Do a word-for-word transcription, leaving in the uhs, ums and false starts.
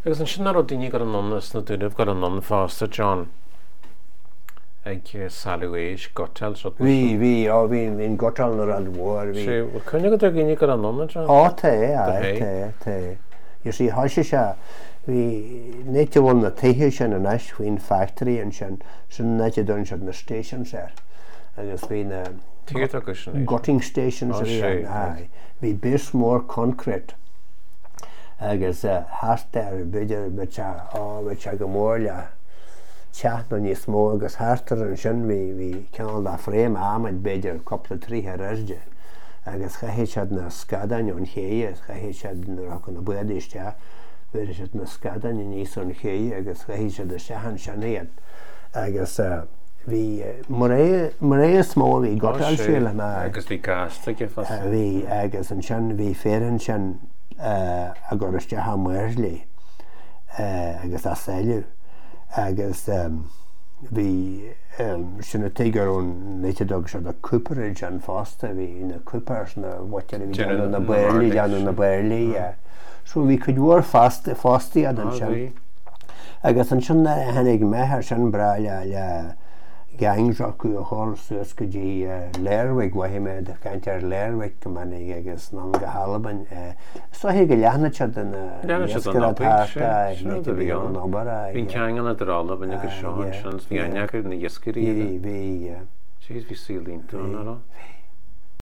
Agus ansin nach raibh daoine ag dul anonn as na Dúnaibh ag dul anonn fosta, John, ag sailleadh éisc, gutáil, rud mar Bhí, sin. bhí, á bhí, bhí an gutáil ina rud mhór, bhí. Sé, bhfuil cuimhne agat ar dhaoine ag dul anonn, a John? Á tá, Do aye, hé. tá, tá. You see, thoisigh sé, bhí, an áit a bhfuil na tithe sin anois, faoin factory ansin, sin an áit a dtugann siad na stations air. Agus bhí na Tuige atá acu sin? gutting stations Á a bhí sé, ann, aye. Bhí base mór concrete agus thart air, b'fhéidir, bheadh sé, á, bheadh sé go mór le teach nó níos mó agus thart air ansin bhí, bhí cineál de frame adhmaid b'fhéidir cúpla troigh ar airde agus chaitheadh siad na scadáin ón ché, chaitheadh siad nuair a thiocfadh na bádaí isteach, bheireadh siad na scadáin aníos ón ché agus chaitheadh siad isteach ansin iad agus bhí mná, mná is mó a bhí ag gutáil sílim, aye. Agus bhí gasta aige fosta. Bhí agus ansin bhí fir ansin ag cur isteach a mbairillí agus á sailleadh agus bhí sin an tuige go raibh an áit a dtug siad an cooperage ann fosta, bhí na coopers na mhuintir a bhí déanamh na bairillí, déanamh na bairillí, yeah. So bhí cuid mhór fostaíocht ansin. Agus ansin nuair a tháinig meath air sin breá le le gangs acu a dhul suas go dtí Lerwick, mhothaigh mé ag caint ar Lerwick go minic agus anonn go hAlbain. Is dóiche go leathnaigh siad ina iascaireacht thart, aye, an áit a bhí an obair, aye. Bhí an ceangal idir Albain agus seo ansin, bhí aithne acu ar na iascairí. Bhí, bhí, yeah. Jeez, bhí saol iontach ann, nach raibh? Bhí.